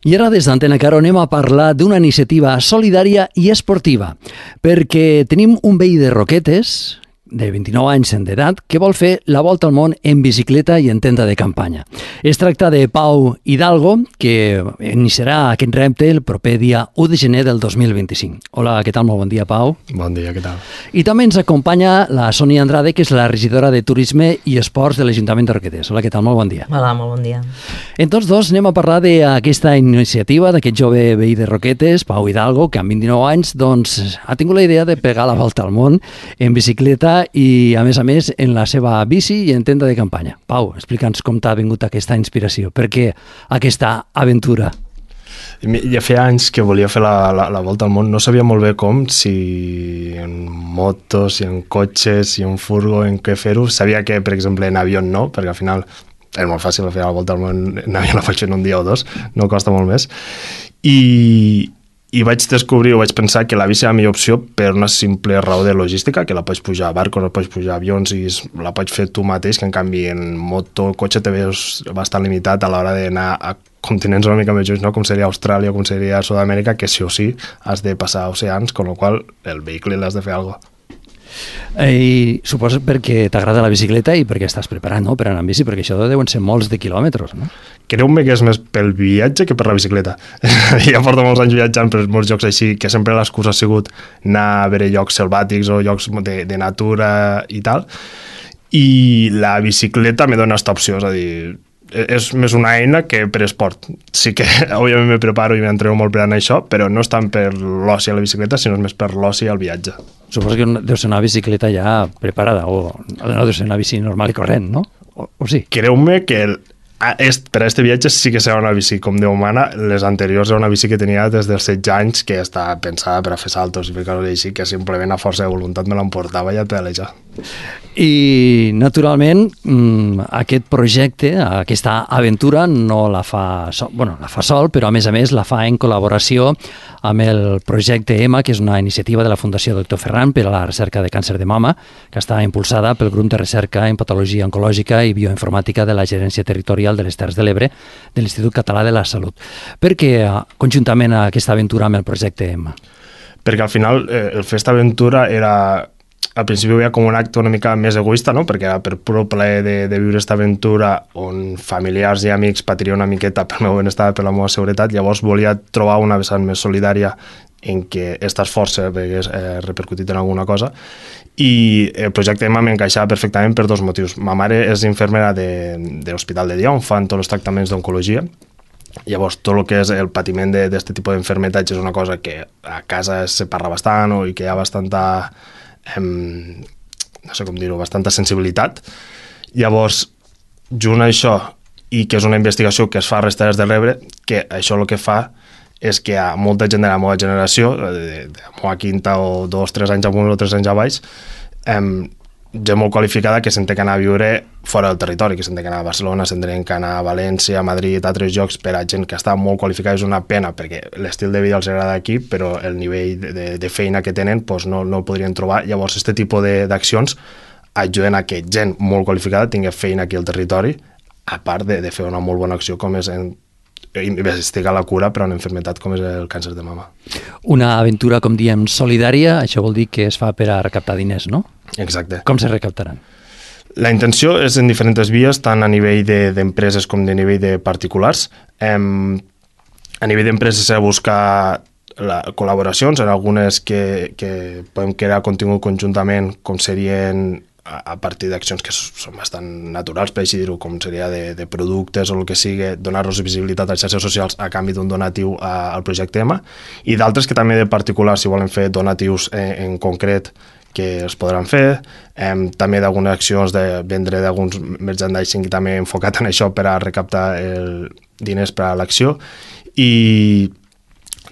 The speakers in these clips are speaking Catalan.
I ara des d'Antena Caro anem a parlar d'una iniciativa solidària i esportiva, perquè tenim un veí de Roquetes, de 29 anys d'edat, que vol fer la volta al món en bicicleta i en tenda de campanya. Es tracta de Pau Hidalgo, que iniciarà aquest repte el proper dia 1 de gener del 2025. Hola, què tal? Molt bon dia, Pau. Bon dia, què tal? I també ens acompanya la Sònia Andrade, que és la regidora de Turisme i Esports de l'Ajuntament de Roquetes. Hola, què tal? Molt bon dia. Hola, molt bon dia. En tots dos anem a parlar d'aquesta iniciativa, d'aquest jove veí de Roquetes, Pau Hidalgo, que amb 29 anys doncs, ha tingut la idea de pegar la volta al món en bicicleta i, a més, en la seva bici i en tenda de campanya. Pau, explica'ns com t'ha vingut aquesta inspiració. Per què aquesta aventura? Ja feia anys que volia fer la volta al món. No sabia molt bé com, si en motos, si en cotxes, si en furgo, en què fer-ho. Sabia que, per exemple, en avió no, perquè al final és molt fàcil fer la volta al món en avió, la faig en un dia o dos, no costa molt més. I vaig descobrir o vaig pensar que la bici era la millor opció per una simple raó de logística, que la pots pujar a barcos, la pots pujar a avions i la pots fer tu mateix, que en canvi en moto o cotxe te veus bastant limitat a l'hora d'anar a continents una mica més junts, no? Com seria Austràlia o com seria Sud-amèrica, que sí o sí has de passar oceans, con lo qual el vehicle l'has de fer alguna cosa. I suposo perquè t'agrada la bicicleta i perquè estàs preparat, no?, per anar amb bici, perquè això deuen ser molts de quilòmetres, no? Creu-me que és més pel viatge que per la bicicleta. Ja porto molts anys viatjant per molts llocs així, que sempre l'excusa ha sigut anar a veure llocs selvàtics o llocs de natura i tal, i la bicicleta me dona aquesta opció, és a dir, és més una eina que per esport. Sí que, òbviament, me preparo i m'entreno molt per anar a això, però no és tant per l'oci a la bicicleta, sinó més per l'oci al viatge. Suposo que deu ser una bicicleta ja preparada, o no deu ser una bici normal i corrent, no? O sí? Creu-me que per a aquest viatge sí que serà una bici com Déu mana. Les anteriors era una bici que tenia des dels 16 anys, que estava pensada per a fer saltos i fer coses així, que simplement a força de voluntat me l'emportava i a pedalejar. I, naturalment, aquest projecte, aquesta aventura, no la fa sol, la fa sol, però a més la fa en col·laboració amb el projecte EMA, que és una iniciativa de la Fundació Dr. Ferran per a la recerca de càncer de mama, que està impulsada pel grup de recerca en patologia oncològica i bioinformàtica de la Gerència Territorial de les Terres de l'Ebre de l'Institut Català de la Salut. Per què conjuntament aquesta aventura amb el projecte EMA? Perquè al final el fer aquesta aventura era... Al principi ho veia com un acte una mica més egoista, no? Perquè era per pur plaer de viure aquesta aventura on familiars i amics patirien una miqueta pel meu benestar, per la meva seguretat. Llavors volia trobar una vessant més solidària en què aquest esforç hagués repercutit en alguna cosa, i el projecte EMA m'encaixava perfectament per dos motius. Ma mare és infermera de l'Hospital de Dia, on fan tots els tractaments d'oncologia. Llavors, tot el que és el patiment d'aquest tipus d'enfermetats és una cosa que a casa se parla bastant i que hi ha bastanta... no sé com dir-ho, bastanta sensibilitat. Llavors, junt a això i que és una investigació que es fa a les Terres de l'Ebre, que això el que fa és que hi ha molta gent de la meva generació, de la meva quinta o 2 o 3 anys amunt o 3 anys a baix, gent molt qualificada que s'han d'anar a viure fora del territori, que s'han d'anar a Barcelona, s'han d'anar a València, a Madrid, a altres llocs, per a gent que està molt qualificada. És una pena, perquè l'estil de vida els agrada aquí, però el nivell de feina que tenen doncs no el podrien trobar. Llavors, aquest tipus d'accions ajuden a que gent molt qualificada tingui feina aquí al territori, a part de fer una molt bona acció com és investigar la cura per a una malaltia com és el càncer de mama. Una aventura, com diem, solidària, això vol dir que es fa per a recaptar diners, no? Exacte. Com se recaptaran? La intenció és en diferents vies, tant a nivell d'empreses com de nivell de particulars. A nivell d'empreses s'ha de buscar col·laboracions, en algunes que podem crear contingut conjuntament, com serien a partir d'accions que són bastant naturals, per així dir-ho, com seria de productes o el que sigui, donar-los visibilitat a les xarxes socials a canvi d'un donatiu al projecte EMA, i d'altres que també de particulars, si volen fer donatius en concret, que es podran fer, també d'algunes accions de vendre d'alguns merchandising també enfocat en això per a recaptar diners per a l'acció, i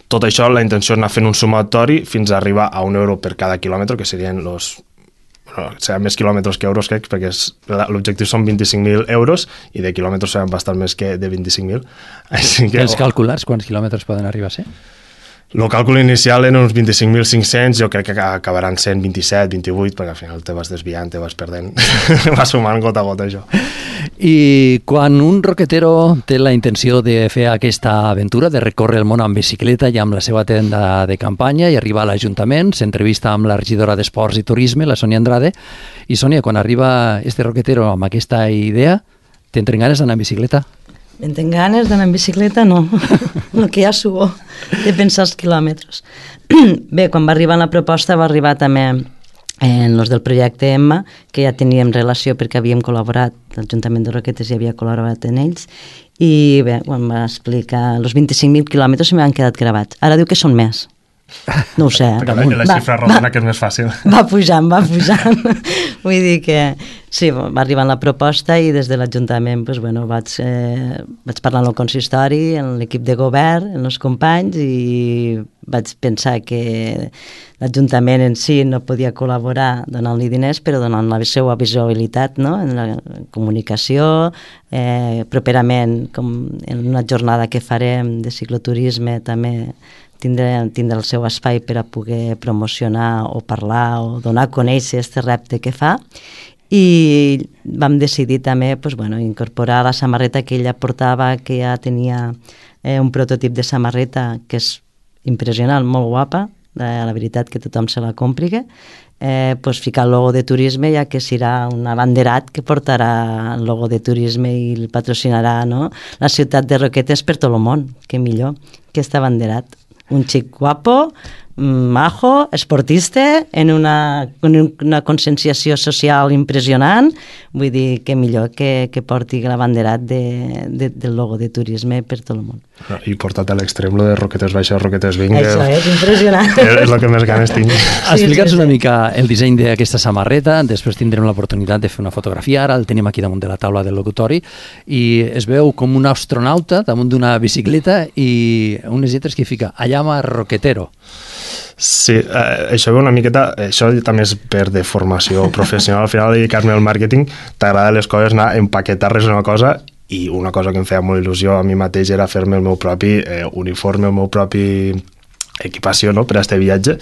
tot això la intenció és anar fent un sumatori fins a arribar a €1 per cada quilòmetre, que serien seran més quilòmetres que euros, crec, perquè l'objectiu són 25.000 euros i de quilòmetres seran bastant més que de 25.000. Els calculars, quants quilòmetres poden arribar a ser? El càlcul inicial eren uns 25.500, jo crec que acabaran sent 27, 28, perquè al final te vas desviant, te vas perdent, va sumant gota a gota això. I quan un roquetero té la intenció de fer aquesta aventura, de recórrer el món amb bicicleta i amb la seva tenda de campanya i arribar a l'Ajuntament, s'entrevista amb la regidora d'Esports i Turisme, la Sònia Andrade, i Sònia, quan arriba este roquetero amb aquesta idea, t'entren ganes d'anar en bicicleta? En tenc ganes d'anar en bicicleta? No, el que ja subo de pensar els quilòmetres. Bé, quan va arribar la proposta va arribar també en els del projecte Emma, que ja teníem relació perquè havíem col·laborat, l'Ajuntament de Roquetes ja havia col·laborat en ells, i bé, quan va explicar els 25.000 quilòmetres se m'han quedat gravats. Ara diu que són més. No ho sé. La xifra rodona que és més fàcil. Va pujant. Vull dir que sí, va arribar la proposta i des de l'Ajuntament doncs, bueno, vaig parlar amb el consistori, amb l'equip de govern, amb els companys i vaig pensar que l'Ajuntament en si no podia col·laborar donant-li diners, però donant la seva visibilitat, no? En la comunicació, properament, com en una jornada que farem de cicloturisme també tindre el seu espai per a poder promocionar o parlar o donar a conèixer aquest repte que fa, i vam decidir també pues, bueno, incorporar la samarreta que ella portava, que ja tenia un prototip de samarreta que és impressionant, molt guapa, la veritat que tothom se la compri, pues, ficar el logo de turisme, ja que serà un abanderat que portarà el logo de turisme i el patrocinarà, no? La ciutat de Roquetes per tot el món, que millor que aquest abanderat. Un xic guapo, majo, esportista, en una conscienciació social impressionant, vull dir que millor que porti l'abanderat del logo de turisme per tot el món. I portat a l'extrem, lo de Roquetes Baixes, Roquetes Vinga. Això és impressionant. És el que més ganes tinc. Explica'ns una mica el disseny d'aquesta samarreta, després tindrem l'oportunitat de fer una fotografia, ara el tenim aquí damunt de la taula del locutori, i es veu com un astronauta damunt d'una bicicleta i unes lletres que fica Allama Roquetero. Sí, això ve una miqueta, això també és per de formació professional, al final dedicar-me al màrqueting, t'agrada les coses, anar a empaquetar-les una cosa, i una cosa que em feia molt il·lusió a mi mateix era fer-me el meu propi uniforme, el meu propi equipació, no?, per a este viatge.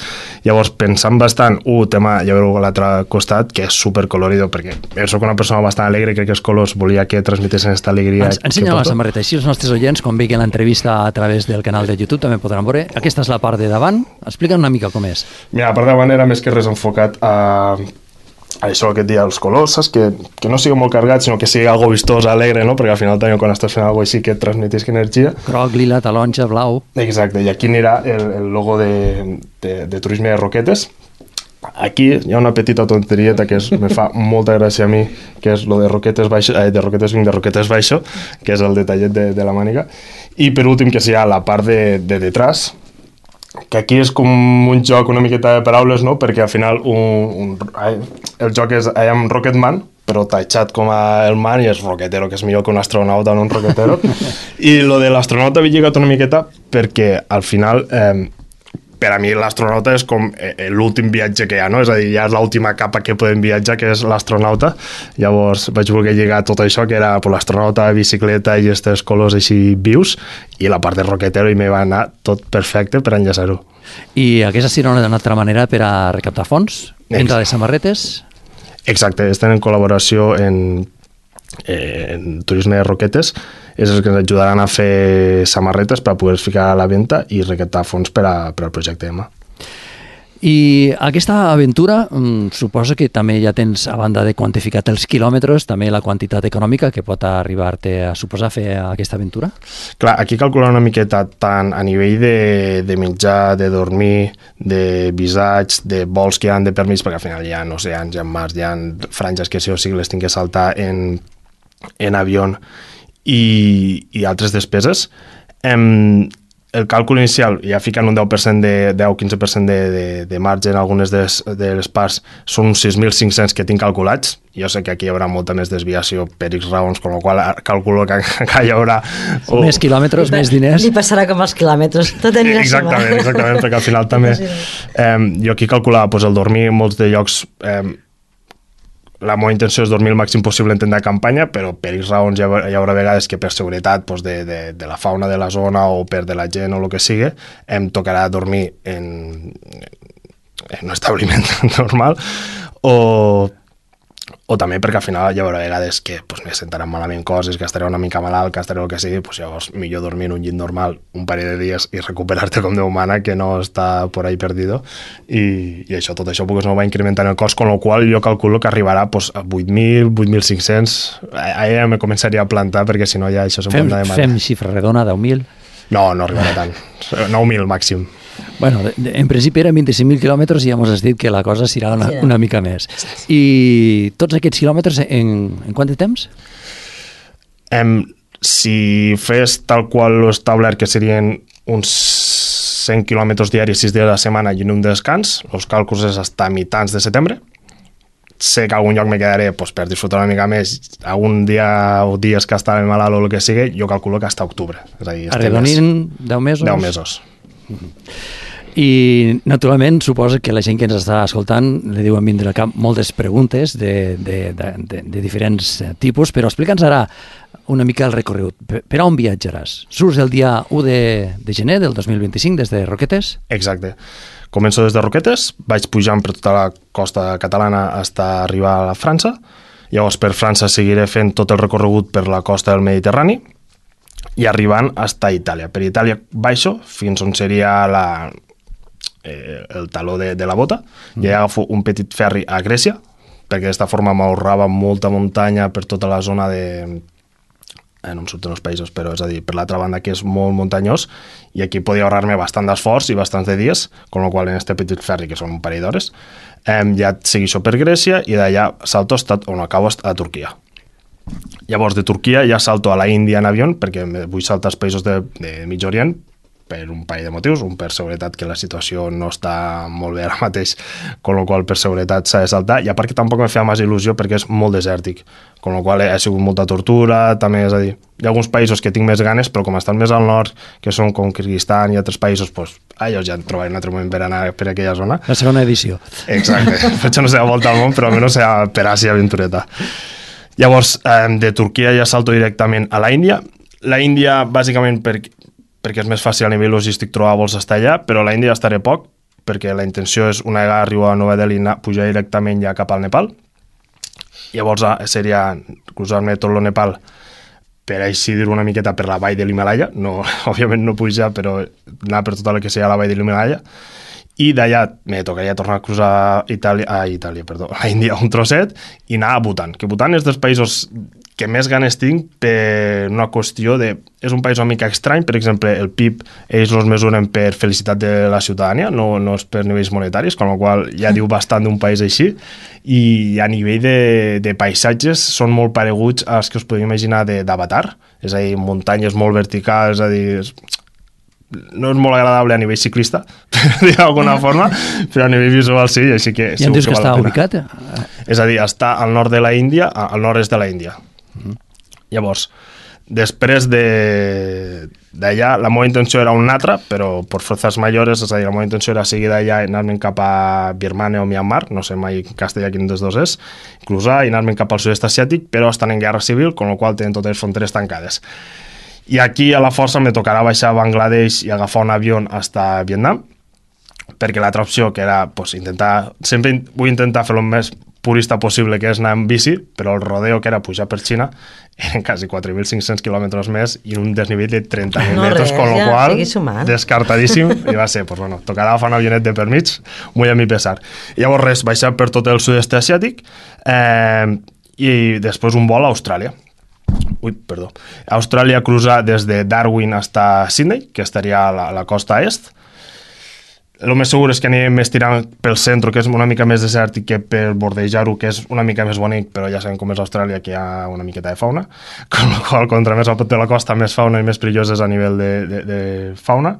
Llavors, pensant bastant, tema, ja veureu a l'altre costat, que és supercolorido, perquè jo soc una persona bastant alegre, crec que els colors volia que transmetessin aquesta alegria. Ensenya la samarreta, així els nostres oients, quan veien l'entrevista a través del canal de YouTube, també podran veure. Aquesta és la part de davant, explica'm una mica com és. Mira, la part de davant era més que res enfocat a això que et dia, els colors, saps? Que no sigui molt carregat, sinó que sigui algo vistós, alegre, no? Perquè al final també quan estàs fent alguna cosa així que et transmetisca energia. Groc, lila, taronja, blau. Exacte, i aquí anirà el logo de Turisme de Roquetes. Aquí hi ha una petita tonterieta que me fa molta gràcia a mi, que és lo de Roquetes Baixo, de Roquetes Vinc, de Roquetes Baixo, que és el detallet de la màniga. I per últim que sigui la part de detrás, que aquí és com un joc una miqueta de paraules, no? Perquè al final el joc és I am Rocketman, però tatxat com el man, i és roquetero, que és millor que un astronauta, no un roquetero. I lo de l'astronauta havia lligat una miqueta perquè al final per a mi l'astronauta és com l'últim viatge que hi ha, no? És a dir, ja és l'última capa que podem viatjar, que és l'astronauta. Llavors vaig voler lligar tot això, que era l'astronauta, bicicleta i aquests colors així vius, i la part de roquetero, i me va anar tot perfecte per enllaçar-ho. I aquesta serà una altra manera per a recaptar fons? Venda de samarretes? Exacte, estem en col·laboració en Turisme de Roquetes, és els que ens ajudaran a fer samarretes per a poder ficar a la venda i recaptar fons per al projecte Emma. I aquesta aventura suposa que també ja tens, a banda de quantificat els quilòmetres, també la quantitat econòmica que pot arribar-te a suposar fer aquesta aventura? Clar, aquí calcular una miqueta tant a nivell de menjar, de dormir, de visats, de vols que hi ha de permís, perquè al final hi ha oceans, hi ha mars, hi ha franges que sí o sí les tinc que saltar en avió i altres despeses. El càlcul inicial, ja ficant un 10%, 10-15% de marge en algunes de les parts, són uns 6.500 que tinc calculats. Jo sé que aquí hi haurà molta més desviació per X raons, amb la qual calculo que hi haurà... Més quilòmetres, més diners. Li passarà com els quilòmetres, tot anirà exactament, perquè al final també... Jo aquí calculava el dormir en molts de llocs... la meva intenció és dormir el màxim possible en tenda de campanya, però per X raons hi haurà vegades que per seguretat doncs, de la fauna de la zona o per de la gent o el que sigui, em tocarà dormir en un establiment normal o també perquè al final hi haurà vegades que doncs, me sentaran malament coses, que estaré una mica malalt, que estaré el que sigui, doncs llavors millor dormir en un llit normal un parell de dies i recuperar-te com Déu mana, que no està por ahí perdido, i això, tot això pues, no va incrementant el cost, con lo qual jo calculo que arribarà pues, a 8.000, 8.500, ja me començaria a plantar perquè si no ja això se'n pot anar de mare. Fem xifra redona, 10.000? No arribarà tant, 9.000 màxim. Bueno, en principi eren 25.000 quilòmetres i ja ens has dit que la cosa serà una mica més. I tots aquests quilòmetres en quant de temps? Si fes tal qual l'ho establert, que serien uns 100 quilòmetres diaris, 6 dies a la setmana i un descans, els càlculs és fins a mitjans de setembre. Sé que a algun lloc me quedaré pues, per disfrutar una mica més, algun dia o dies que estaré malalt o el que sigui, jo calculo que fins a octubre. És a dir, arredonint 10 mesos? 10 mesos. I naturalment suposo que la gent que ens està escoltant li diuen vindre al cap moltes preguntes de diferents tipus, però explica'ns ara una mica el recorregut. Per on viatjaràs? Surts el dia 1 de gener del 2025 des de Roquetes? Exacte. Començo des de Roquetes, vaig pujant per tota la costa catalana fins a arribar a França, llavors per França seguiré fent tot el recorregut per la costa del Mediterrani i arribant fins a Itàlia. Per Itàlia baixo fins on seria el taló de la bota i agafo un petit ferri a Grècia, perquè d'esta forma m'ahorrava molta muntanya per tota la zona no em surten els països, però és a dir, per l'altra banda que és molt muntanyós i aquí podia ahorrar-me bastant d'esforç i bastants de dies, con lo qual en este petit ferri, que són un parell d'hores, ja segueixo per Grècia i d'allà salto on acabo a Turquia. Llavors de Turquia ja salto a la Índia en avió perquè vull saltar als països de Mig Orient per un parell de motius, un per seguretat, que la situació no està molt bé ara mateix, con lo qual per seguretat s'ha de saltar, i a part que tampoc me feia massa il·lusió perquè és molt desèrtic, con lo qual ha sigut molta tortura, també, és a dir, hi ha alguns països que tinc més ganes, però com estan més al nord, que són com Kirguistan i altres països, doncs, jo ja trobaré un altre moment per anar per aquella zona. La segona edició. Exacte, faig no sé a volta al món, però almenys sea per Àsia aventureta. Llavors, de Turquia ja salto directament a la Índia. La Índia, bàsicament, perquè és més fàcil a nivell logístic trobar vols estar allà, però a la Índia estaré poc, perquè la intenció és una vegada arribo a Nova Delhi pujar directament ja cap al Nepal. Llavors seria cruzar-me tot el Nepal per així dir una miqueta per la vall de l'Himalaya, no, òbviament no pujar, però anar per tota la que seria la vall de l'Himalaya, i d'allà me tocaria tornar a cruzar a Índia un trosset i anar a Bhutan, que Bhutan és dels països que més ganes tinc per una qüestió de... És un país una mica estrany, per exemple, el PIB ells els mesuren per felicitat de la ciutadania, no és per nivells monetaris, con la qual ja diu bastant d'un país així, i a nivell de paisatges són molt pareguts als que us podeu imaginar d'Avatar, és a dir, muntanyes molt verticals, és a dir... No és molt agradable a nivell ciclista, per dir d'alguna forma, però a nivell visual sí, així que... I em dius que està ubicat? És a dir, està al nord de la Índia, al nord-est de la Índia. Llavors, després d'allà, la meva intenció era una altra, però per forces mayores, és a dir, la meva intenció era seguir d'allà i anar-me'n cap a Birmània o Myanmar, no sé mai en castellà quin dels dos és, cruzar i anar-me'n cap al sud-est asiàtic, però estan en guerra civil, con la qual tenen totes les fronteres tancades. I aquí a la força me tocarà baixar a Bangladesh i agafar un avió fins a Vietnam, perquè l'altra opció que era pues, sempre vull intentar fer el més purista possible, que és anar en bici, però el rodeo que era pujar per Xina eren quasi 4.500 quilòmetres més i un desnivell de 30.000 metres, con lo qual descartadíssim, i va ser, pues, bueno, tocarà agafar un avionet de per mig, muy a mi pesar. I llavors res, baixar per tot el sud-est asiàtic i després un vol a Austràlia. Austràlia cruzar des de Darwin fins a Sydney, que estaria a la costa est. El més segur és que anirem més tirant pel centre, que és una mica més desèrtic, que per bordejar-ho, que és una mica més bonic, però ja sabem com és Austràlia, que hi ha una miqueta de fauna, con la qual contra més a prop de la costa, més fauna i més perilloses a nivell de fauna,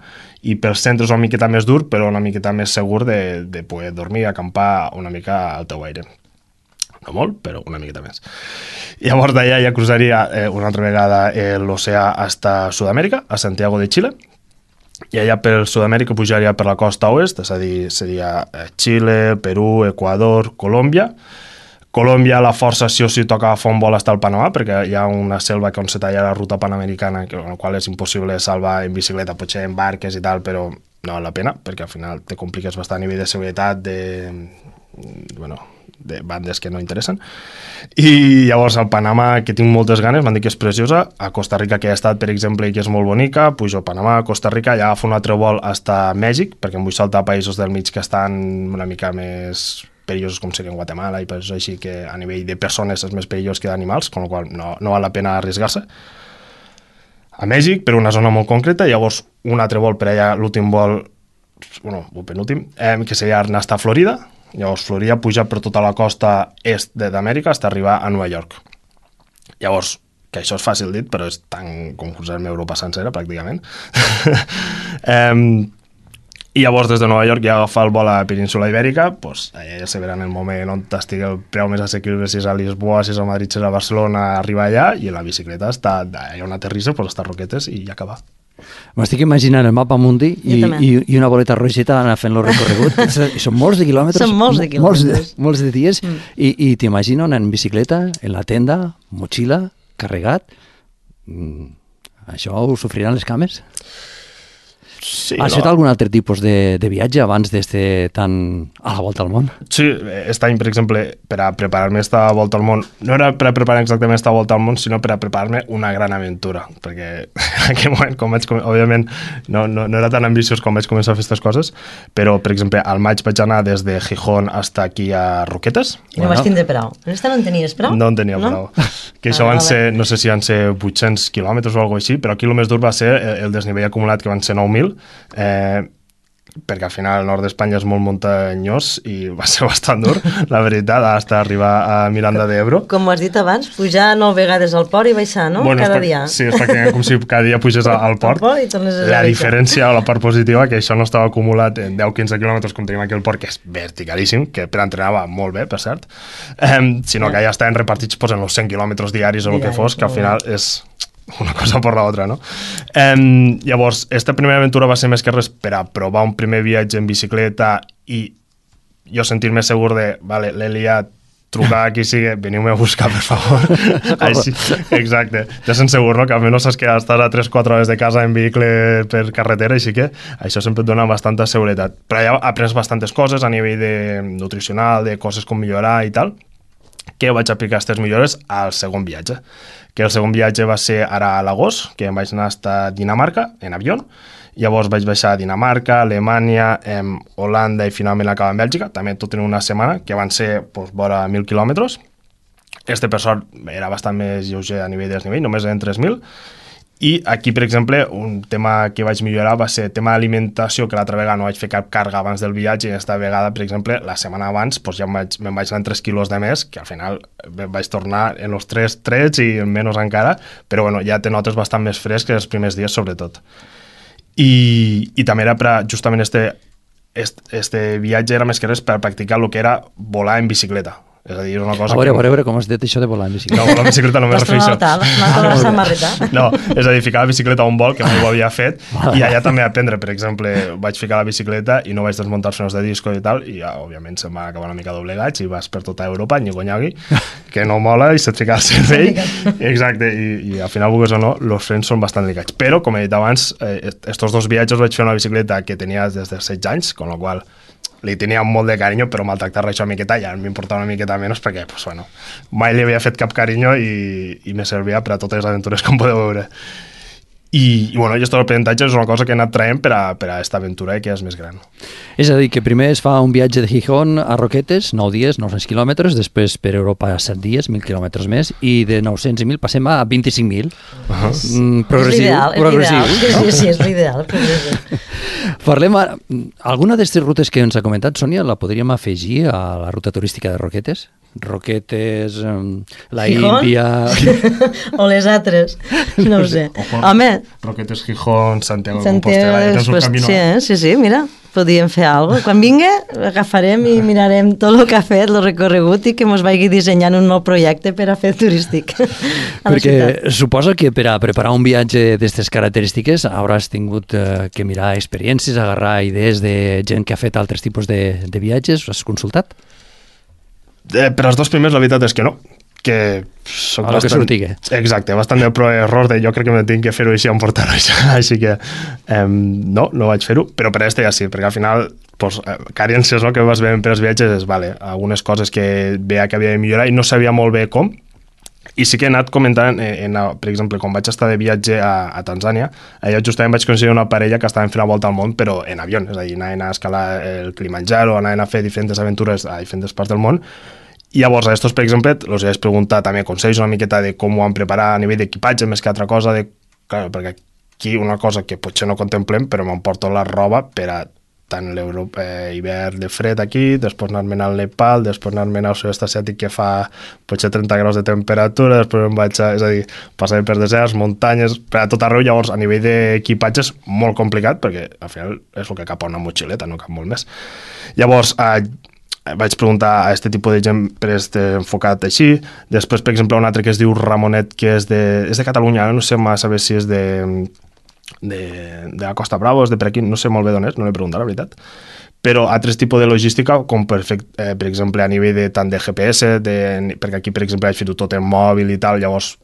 i pel centre és una miqueta més dur, però una miqueta més segur de poder dormir i acampar una mica al teu aire. No molt, però una miqueta més. Llavors d'allà ja cruzaria una altra vegada l'oceà fins a Sud-amèrica, a Santiago de Xile, i allà per Sud-amèrica pujaria per la costa oest, és a dir, seria Xile, Perú, Equador, Colòmbia, Colòmbia, la força sí o sí toca agafar un vol hasta el Panamà, perquè hi ha una selva on se talla la ruta panamericana, en la qual és impossible salvar en bicicleta, potser en barques i tal, però no val la pena, perquè al final te compliques bastant a nivell de seguretat, de bandes que no interessen. I llavors al Panamà, que tinc moltes ganes, m'han dit que és preciosa, a Costa Rica, que he estat, per exemple, i que és molt bonica, pujo a Panamà, a Costa Rica, i agafo un altre vol hasta Mèxic, perquè em vull saltar països del mig que estan una mica més perillosos, com serien Guatemala i països així, que a nivell de persones és més perillós que d'animals, amb la qual no val la pena arriesgar-se. A Mèxic, per una zona molt concreta, i llavors un altre vol per allà, l'últim vol, el penúltim, que seria anar a Florida. Llavors Florida puja per tota la costa est d'Amèrica fins a arribar a Nova York. Llavors, que això és fàcil dit, però és tan com cruzar-me Europa sencera, pràcticament. I llavors des de Nova York ja agafar el vol a la península Ibèrica, doncs allà ja se verà en el moment on estigui el preu més assequible, si és a Lisboa, si és a Madrid, si és a Barcelona, arribar allà, i la bicicleta està allà on aterrissa, doncs està a Roquetes i ja acabar. M'estic imaginant el mapa mundi i una boleta rogeta anar fent el recorregut. Són molts de quilòmetres. Són molts de quilòmetres. Molts de dies. I t'imagino anar en bicicleta, en la tenda, motxilla, carregat. Això ho sofriran les cames? Sí, Has fet algun altre tipus de viatge abans d'estar tan a la volta al món? Sí, aquest any, per exemple, per a preparar-me esta volta al món, no era per a preparar exactament esta volta al món, sinó per a preparar-me una gran aventura, perquè en aquell moment, òbviament, no era tan ambiciós com vaig començar a fer aquestes coses, però, per exemple, al maig vaig anar des de Gijón hasta aquí a Roquetes. I no vas tindre prou. En esta no en tenies prou? No en tenia prou. Que això van ser, no sé si van ser 800 quilòmetres o alguna cosa així, però aquí el més dur va ser el desnivell acumulat, que van ser 9.000, perquè al final el nord d'Espanya és molt muntanyós i va ser bastant dur, la veritat, fins a arribar a Miranda d'Ebro. Com ho has dit abans, pujar 9 vegades al port i baixar, no? Cada dia. Sí, és com si cada dia pugés al port. La diferència o la part positiva, que això no estava acumulat en 10-15 quilòmetres com tenim aquí al port, que és verticalíssim, que per entrenar va molt bé, per cert, sinó que ja estaven repartits en els 100 quilòmetres diaris o el que fos, que al final és una cosa per l'altra, no? Llavors, esta primera aventura va ser més que res per a provar un primer viatge en bicicleta i jo sentir-me segur de, vale, l'he liat, trucar a qui sigui, veniu-me a buscar, per favor. Així, exacte. Ja sent segur, no? Que almenys saps que estàs a 3-4 hores de casa en vehicle per carretera, així que això sempre et dona bastanta seguretat. Però ja aprens bastantes coses a nivell de nutricional, de coses com millorar i tal, que vaig aplicar aquestes millores al segon viatge. Que el segon viatge va ser ara a l'agost, que em vaig anar a Dinamarca en avió. Llavors vaig baixar a Dinamarca, Alemanya, Holanda i finalment acabar en Bèlgica, també tot en una setmana, que van ser vora 1.000 quilòmetres. Per sort, era bastant més lleuger a nivell de desnivell, només eren 3.000. I aquí, per exemple, un tema que vaig millorar va ser el tema d'alimentació, que l'altra vegada no vaig fer cap càrrega abans del viatge, i aquesta vegada, per exemple, la setmana abans ja me'n vaig anar 3 quilos de més, que al final vaig tornar en els 3 trets i menys encara, però bueno, ja te notes bastant més fresc que els primers dies, sobretot. I també era per justament este viatge era més que res per practicar el que era volar en bicicleta. És a dir, una cosa a veure, com has dit això de volar en bicicleta. No, volar en bicicleta no m'he refereixo. No, és a dir, ficar la bicicleta a un vol, que mai ho havia fet, i allà també aprendre, per exemple, vaig ficar la bicicleta i no vaig desmuntar els frenos de disco i tal, i ja, òbviament, se'm va acabar una mica doblegats i vas per tota Europa, nyigui, que no mola, i se't fica el cervell. Exacte, i al final, vulguis o no, els frens són bastant delicats. Però, com he dit abans, estos dos viatges vaig fer una bicicleta que tenia des de 16 anys, con la qual li tenia molt de carinyo, però maltractar-la això una miqueta ja m'importava una miqueta menys perquè, mai li havia fet cap carinyo i me servia per a totes les aventures, com podeu veure. I bueno, aquest aprenentatge és una cosa que he anat traient per a aquesta aventura que és més gran. És a dir, que primer es fa un viatge de Gijón a Roquetes, 9 dies, 900 quilòmetres, després per Europa 7 dies, 1.000 quilòmetres més, i de 900 i 1.000 passem a 25.000. Progressiu. Sí, és l'ideal. Parlem ara, alguna d'aquestes rutes que ens ha comentat, Sònia, la podríem afegir a la ruta turística de Roquetes? Roquetes, la Índia... o les altres, no ho sé. Home... Roquetes, Gijón, Santiago de Compostela... Sí, mira, podíem fer alguna cosa. Quan vinga, agafarem i mirarem tot el que ha fet, el recorregut, i que ens vagi dissenyant un nou projecte per a fer turístic. Perquè suposo que per a preparar un viatge d'aquestes característiques hauràs tingut que mirar experiències, agarrar idees de gent que ha fet altres tipus de viatges. Has consultat? Per als 2 primers la veritat és que no, que soc a lo que sortigue. Exacte, bastant de error de jo crec que me tinc que fer-ho així en portar-ho així que no vaig fer-ho, però per este ja sí, perquè al final pues, carències que vas veient per als viatges és, vale, algunes coses que veia que havia de millorar i no sabia molt bé com, i sí que he anat comentant, per exemple, quan vaig estar de viatge a Tanzània, allà justament vaig conèixer una parella que estaven fent la volta al món, però en avió, és a dir, anaven a escalar el Kilimanjaro, anaven a fer diferents aventures a diferents parts del món. I llavors a estos, per exemple, els vaig preguntar també consells una miqueta de com ho han preparat a nivell d'equipatge, més que altra cosa, clar, perquè aquí una cosa que potser no contemplem, però m'emporto la roba per a tant l'hivern de fred aquí, després anar-me'n al Nepal, després anar-me'n al sud-est asiàtic que fa potser 30 graus de temperatura, després em vaig és a dir, passar per deserts, muntanyes, per a tot arreu, llavors a nivell d'equipatge és molt complicat, perquè al final és el que cap a una motxileta, no cap molt més. Llavors, vaig preguntar a aquest tipus de gent enfocat així. Després, per exemple, un altre que es diu Ramonet, que és de Catalunya, no sé massa bé si és de la Costa Brava, és de per aquí, no sé molt bé d'on és, no l'he preguntat, la veritat. Però altres tipus de logística, com per exemple a nivell tant de GPS, perquè aquí, per exemple, vaig fer-ho tot en mòbil i tal, llavors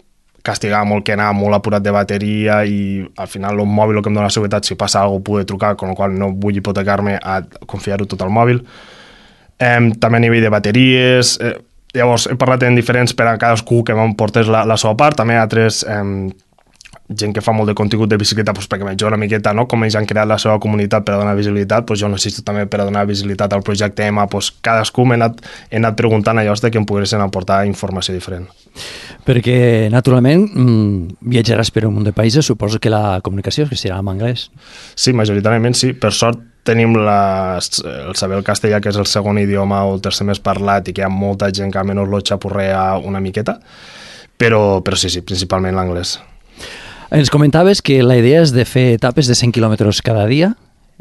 castigava molt que anava molt apurat de bateria i al final el mòbil el que em dona seguretat, si passa alguna cosa, poder trucar, amb la qual no vull hipotecar-me a confiar-ho tot al mòbil. També a nivell de bateries, llavors he parlat en diferents per a cadascú que m'emportés la seva part, també altres gent que fa molt de contingut de bicicleta perquè m'ajuda una miqueta, no? Com ells han creat la seva comunitat per a donar visibilitat, jo necessito també per a donar visibilitat al projecte EMA, cadascú he anat preguntant allò de que em poguessin aportar informació diferent. Perquè, naturalment, viatjaràs per un munt de països, suposo que la comunicació serà en anglès. Sí, majoritàriament sí. Per sort tenim el saber el castellà, que és el segon idioma o el tercer més parlat i que hi ha molta gent que almenys lo xapurrea una miqueta, però sí, principalment l'anglès. Ens comentaves que la idea és de fer etapes de 100 quilòmetres cada dia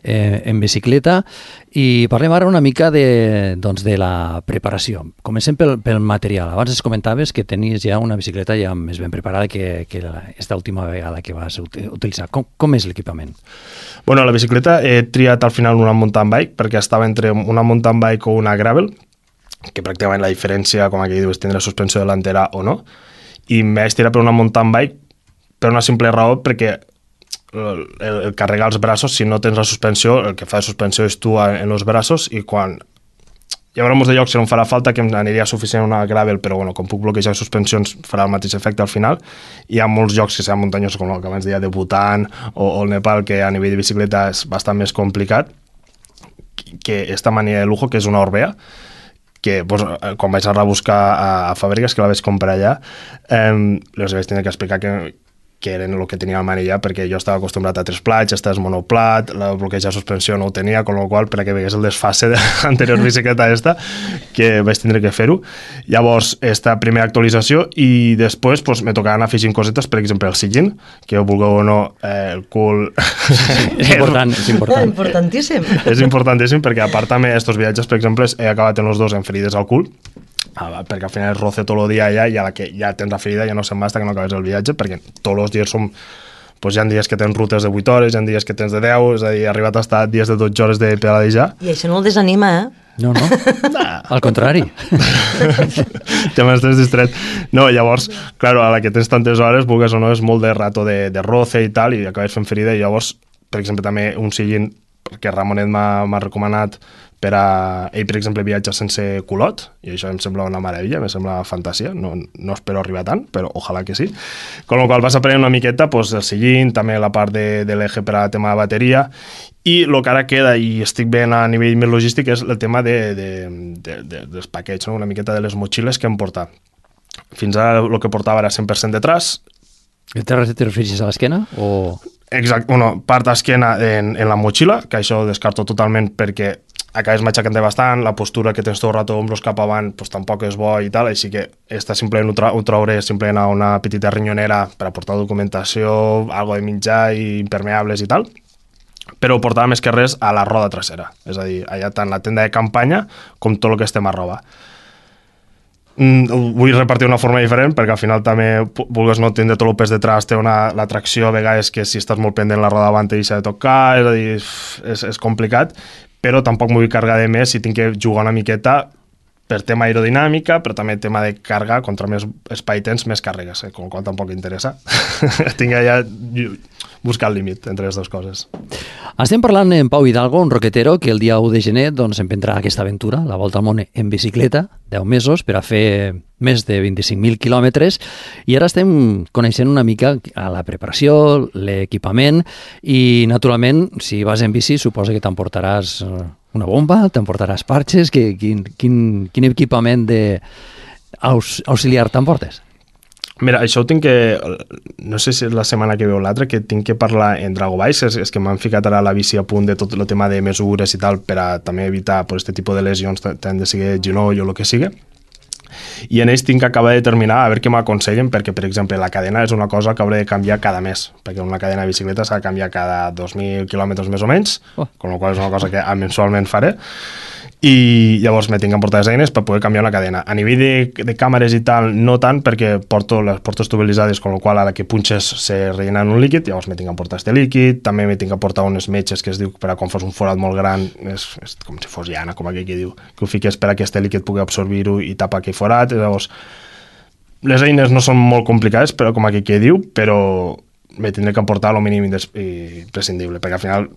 en bicicleta i parlem ara una mica de la preparació. Comencem pel material. Abans es comentaves que tenies ja una bicicleta ja més ben preparada que esta última vegada que vas utilitzar. Com és l'equipament? Bueno, la bicicleta he triat al final una mountain bike perquè estava entre una mountain bike o una gravel, que pràcticament la diferència, com aquí diu, és tindre suspensió delantera o no, i em vaig tirar per una mountain bike per una simple raó perquè el carregar els braços, si no tens la suspensió, el que fa de suspensió és tu en els braços i quan hi haurà molts de llocs que no em farà falta, que em aniria suficient una gravel, però bueno, com puc bloquejar suspensions farà el mateix efecte al final. Hi ha molts llocs que seran muntanyosos, com el que abans deia de Bhutan o el Nepal, que a nivell de bicicleta és bastant més complicat, que esta manera de lujo, que és una Orbea, que quan vaig anar a buscar a Fàbriques, que la vaig comprar allà, els vaig tenir que explicar que eren el que tenia al manillar, perquè jo estava acostumbrat a 3 plats, estàs monoplat, la bloqueja suspensió no ho tenia, con la qual per a que vegués el desfase de l'anterior bicicleta que vaig tindre que fer-ho. Llavors, esta primera actualització i després me tocava anar afegint cosetes, per exemple, el sillín, que vulgueu o no, el cul... És important, és important. Importantíssim. És importantíssim perquè, a part també, estos viatges, per exemple, he acabat en els dos amb ferides al cul, perquè al final es roce tot el dia allà i a la que ja tens la ferida ja no se'n va fins que no acabes el viatge, perquè tots els dies som... hi ha dies que tens rutes de 8 hores, hi ha dies que tens de 10, és a dir, he arribat a estar dies de 12 hores de pedalejar. I això no el desanima, No. Al contrari. Ja m'estàs distret. No, llavors, clar, a la que tens tantes hores, vulgues o no, és molt de rato de roce i tal, i acabes fent ferida, i llavors, per exemple, també un sillín que Ramonet m'ha recomanat per a... Ell, per exemple, viatja sense culot, i això em sembla una meravella, em sembla fantasia, no espero arribar tant, però ojalà que sí. Con la qual vas aprenent una miqueta el sillín, també la part de l'eje per a tema de bateria, i el que ara queda, i estic ben a nivell més logístic, és el tema dels paquets, no? Una miqueta de les motxilles que em porta. Fins ara el que portava era 100% de traç. Te refereixes a l'esquena? O... Exacte, part d'esquena en la motxilla, que això ho descarto totalment perquè acabes matxacant bastant, la postura que tens tot el rato ombros cap avant tampoc és bo i tal, així que simplement ho trauré simplement a una petita rinyonera per aportar documentació, algo de menjar i impermeables i tal, però ho portava més que res a la roda trasera, és a dir, allà tant la tenda de campanya com tot el que estem a roba. Ho vull repartir d'una forma diferent perquè al final també, vulgues no tindre tot el pes detrás, té la tracció a vegades que si estàs molt pendent la roda davant te deixa de tocar, és a dir, és complicat, però tampoc m'ho vull carregar de més si tinc que jugar una miqueta per tema aerodinàmica, però també tema de càrrega, contra més espai tens, més càrregues, com el qual tampoc interessa. Tinc allà buscar el límit entre les dues coses. Estem parlant amb Pau Hidalgo, un roquetero que el dia 1 de gener doncs, emprendrà aquesta aventura, la volta al món en bicicleta, 10 mesos per a fer més de 25.000 quilòmetres, i ara estem coneixent una mica a la preparació, l'equipament, i naturalment, si vas en bici, suposa que t'emportaràs una bomba, t'emportaràs parxes, quin equipament auxiliar t'emportes? Mira, això ho tinc que... No sé si és la setmana que ve o l'altra, que tinc que parlar en Drago Bikes, és que m'han ficat ara la bici a punt de tot el tema de mesures i tal, per a també evitar aquest tipus de lesions, tant de sigui genoll o el que sigui. I en ells tinc que acabar de determinar a veure què m'aconsellen, perquè, per exemple, la cadena és una cosa que hauré de canviar cada mes, perquè una cadena de bicicleta s'ha de canviar cada 2.000 quilòmetres més o menys, con la qual és una cosa que mensualment faré, i llavors me tinc que emportar les eines per poder canviar una cadena. A nivell de càmeres i tal, no tant, perquè les porto estabilitzades, con la qual a la que punxes se rellena un líquid, llavors me tinc que emportar este líquid, també me tinc que emportar unes metges que es diu per a quan fos un forat molt gran, és com si fos llana, com aquell que diu, que ho fiques per a que este líquid pugui absorbir-ho i tapar aquell forat. Llavors, les eines no són molt complicades, però com aquell que diu, però me tindré que emportar el mínim imprescindible, perquè al final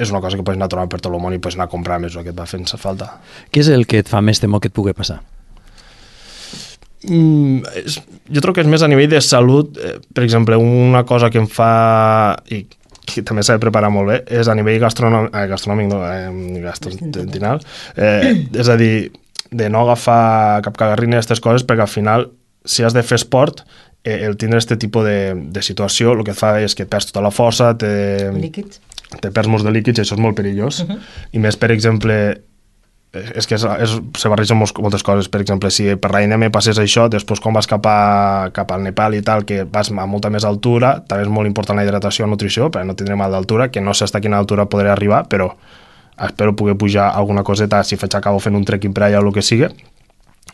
és una cosa que pots anar trobant per tot el món i pots anar a comprar més el que et va fent falta. Què és el que et fa més temor que et pugui passar? Jo trobo que és més a nivell de salut. Per exemple, una cosa que em fa, i que també s'ha de preparar molt bé, és a nivell gastrointestinal. És a dir, de no agafar cap cagarrina d'aquestes coses, perquè al final, si has de fer esport, el tindre aquest tipus de situació el que et fa és que et perds tota la força, Líquids. Te perds molts de líquids i això és molt perillós. I més, per exemple, és que se barregen moltes coses. Per exemple, si per l'ANM passés això, després quan vas cap al Nepal i tal, que vas a molta més altura, també és molt important la hidratació i la nutrició, perquè no tindré mal d'altura, que no sé fins a quina altura podré arribar, però espero poder pujar alguna coseta si acabo fent un trekking per allà o el que sigui.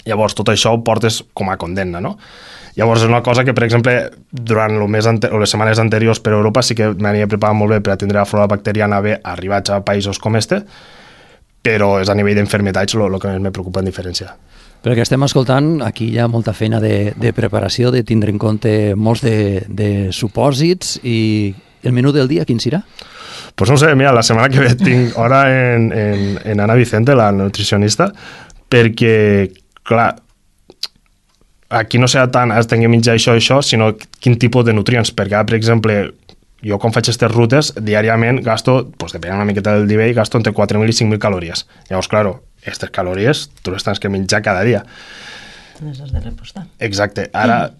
Llavors tot això ho portes com a condemna, no? Llavors és una cosa que, per exemple, durant les setmanes anteriors per Europa sí que m'havia preparat molt bé per atendre la flora bacteriana bé arribats a països com este, però és a nivell d'enfermetats el que més me preocupa en diferència. Pel que estem escoltant, aquí hi ha molta feina de preparació, de tindre en compte molts de supòsits, i el menú del dia quin serà? Pues no sé, mira, la setmana que ve tinc hora en Ana Vicente, la nutricionista, perquè, clar, aquí no serà tant has de menjar això, sinó quin tipus de nutrients, perquè, per exemple, jo quan faig aquestes rutes, diàriament gasto, depenent una miqueta del nivell, gasto entre 4.000 i 5.000 calories. Llavors, claro, aquestes calories tu les tens que menjar cada dia. Les has de repostar. Exacte. Ara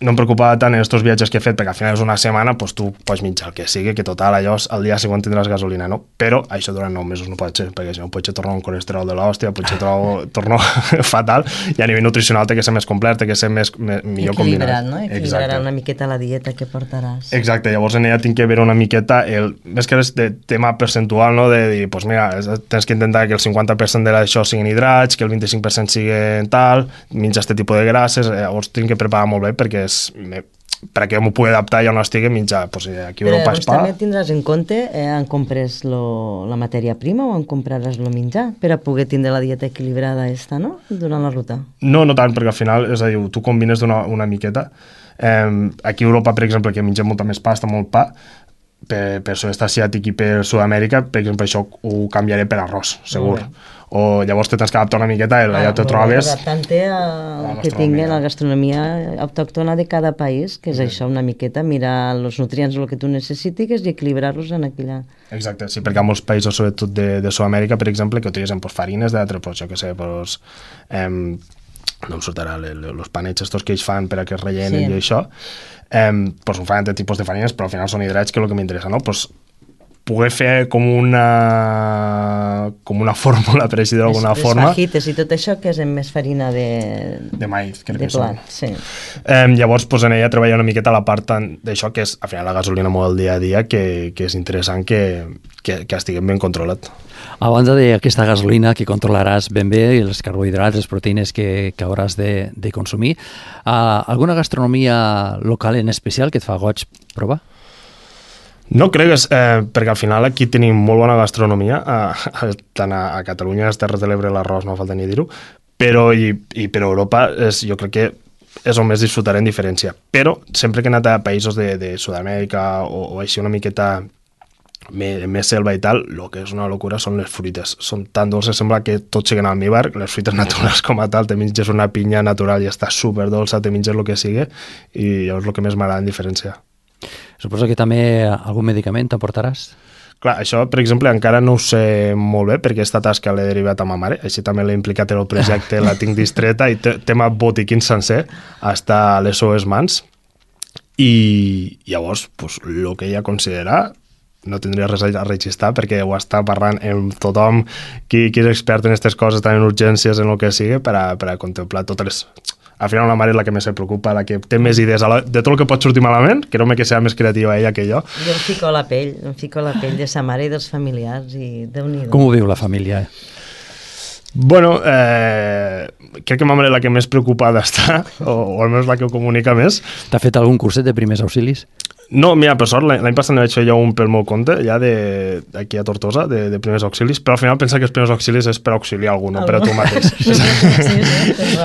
no em preocupava tant en aquests viatges que he fet, perquè al final és una setmana, tu pots menjar el que sigui, que total, allò al dia següent tindràs gasolina, no? Però això durant 9 mesos no pot ser, perquè si no potser tornar un colesterol de l'hòstia, potser torno fatal, i a nivell nutricional té que ser més complet, té que ser millor combinat. Equilibrat, no? Equilibrarà una miqueta la dieta que portaràs. Exacte, llavors en ella tinc que veure una miqueta, més que és de tema percentual, no? De dir, mira, tens que intentar que el 50% d'això siguin hidrats, que el 25% siguin tal, menjar aquest tipus de grasses, llavors tinc que preparar molt bé perquè perquè m'ho pugui adaptar i on estigui menjar. Aquí a Europa és pa. També tindràs en compte en compres la matèria prima o en compraràs el menjar per a poder tindre la dieta equilibrada no? Durant la ruta? No tant, perquè al final, és a dir, tu combines una miqueta. Aquí a Europa, per exemple, que mengem molta més pasta, molt pa, per sud-est asiàtic i per Sud-amèrica, per exemple, això ho canviaré per arròs, segur. O llavors te tens que adaptar una miqueta, allà te trobes... Adaptant-te al que tingui la gastronomia autòctona de cada país, que és això, una miqueta, mirar els nutrients, el que tu necessitis i equilibrar-los en aquella... Exacte, sí, perquè hi ha molts països, sobretot de Sud-amèrica, per exemple, que utilitzen farines d'altres, jo què sé, no em sortirà, els panets estos que ells fan per a que es rellenen i això, ho fan de tipus de farines, però al final són hidrats, que és el que m'interessa, no? Poder fer com una fórmula, per així d'alguna forma. Les fajites i tot això, que és amb més farina de maïz, crec que són. Sí. Llavors, en ella treballar una miqueta la part d'això, que és, al final, la gasolina molt del dia a dia, que és interessant que estiguem ben controlat. A banda d'aquesta gasolina que controlaràs ben bé, els carbohidrats, les proteïnes que hauràs de consumir, alguna gastronomia local en especial que et fa goig provar? No cregues, perquè al final aquí tenim molt bona gastronomia, tant a Catalunya, a les Terres de l'Ebre, l'arròs, no falta ni dir-ho, però i per Europa jo crec que és on més disfrutaré en diferència. Però sempre que he anat a països de Sud-amèrica o així una miqueta més selva i tal, el que és una locura són les fruites. Són tan dolces, sembla que tot siguen al almíbar, les fruites naturals com a tal, te menges una pinya natural i està superdolça, te menges el que sigui, i llavors el que més m'agrada en diferència. Suposo que també algun medicament t'aportaràs? Clar, això, per exemple, encara no ho sé molt bé perquè aquesta tasca l'he derivat a ma mare, així també l'he implicat en el projecte, la tinc distreta i tema botiquín sencer està a les seues mans i llavors, pues, el que ella considera no tindria res a registrar perquè ho està parlant amb tothom qui és expert en aquestes coses, tant en urgències, en el que sigui, per a contemplar totes les... Al final una mare és la que més se preocupa, la que té més idees de tot el que pot sortir malament, que no que sigui més creativa ella que jo. Jo em fico a la pell de sa mare i dels familiars i Déu-n'hi-do. Com ho viu la família? Bueno, crec que ma mare és la que més preocupada està, o almenys la que ho comunica més. T'ha fet algun curset de primers auxilis? No, mira, per sort, l'any passat ne vaig fer jo un pel meu compte, ja d'aquí a Tortosa, de primers auxilis, però al final pensa que els primers auxilis és per auxiliar algú, no per a tu mateix. Sí,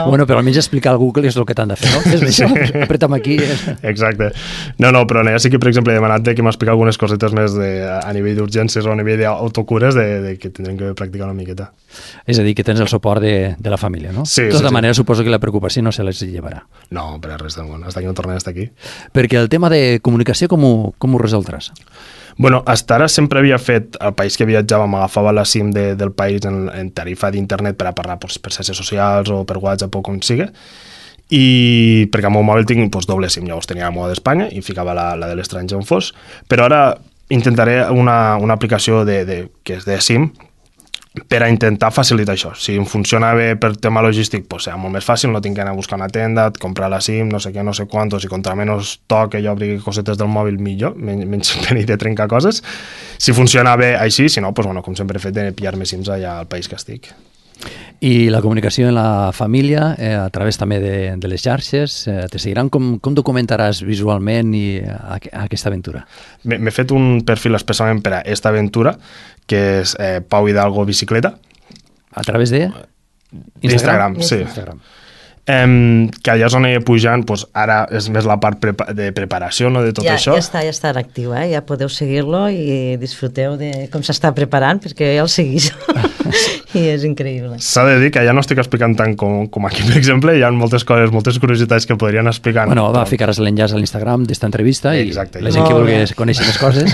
bueno, però almenys explicar al Google és el que t'han de fer, no? És això, apreta'm aquí. Exacte. No, però ja sí que, per exemple, he demanat que m'explica algunes cosetes més a nivell d'urgències o a nivell d'autocures que tindrem que practicar una miqueta. És a dir, que tens el suport de la família, no? Sí, de tota manera, sí. Suposo que la preocupació no se les llevarà. No, per a res del món. Hasta que no tornem a estar aquí. Perquè el tema de comunicació, com ho resoldràs? Bueno, hasta ara sempre havia fet, al país que viatjava m'agafava la SIM del país en tarifa d'internet per a parlar per xarxes socials o per WhatsApp o com sigui, i perquè al meu mòbil tinc doble SIM, llavors tenia la meva d'Espanya i ficava la de l'estranger on fos, però ara intentaré una aplicació que és de SIM per a intentar facilitar això. Si em funciona bé per tema logístic, serà molt més fàcil, no tinc que anar a buscar una tenda, comprar la SIM, no sé què, no sé quantos, i contra menys toc que jo obri cosetes del mòbil millor, menys perill de trencar coses. Si funciona bé així, si no, com sempre he fet, de pillar-me SIMs allà al país que estic. I la comunicació en la família, a través també de les xarxes, te seguiran? Com documentaràs visualment aquesta aventura? M'he fet un perfil especialment per a aquesta aventura, que és Pau Hidalgo Bicicleta. A través de? Instagram, sí. Instagram. Que allà és on he pujant, ara és més la part de preparació, no, de tot això. Ja està actiu, ja podeu seguir-lo i disfruteu de com s'està preparant, perquè ja el seguís. I és increïble. S'ha de dir que ja no estic explicant tant com aquí, per exemple, hi ha moltes coses, moltes curiositats que podrien explicar. Bueno, ficaràs l'enllaç a l'Instagram d'esta entrevista i exacte, la gent que vulgui conèixer més coses.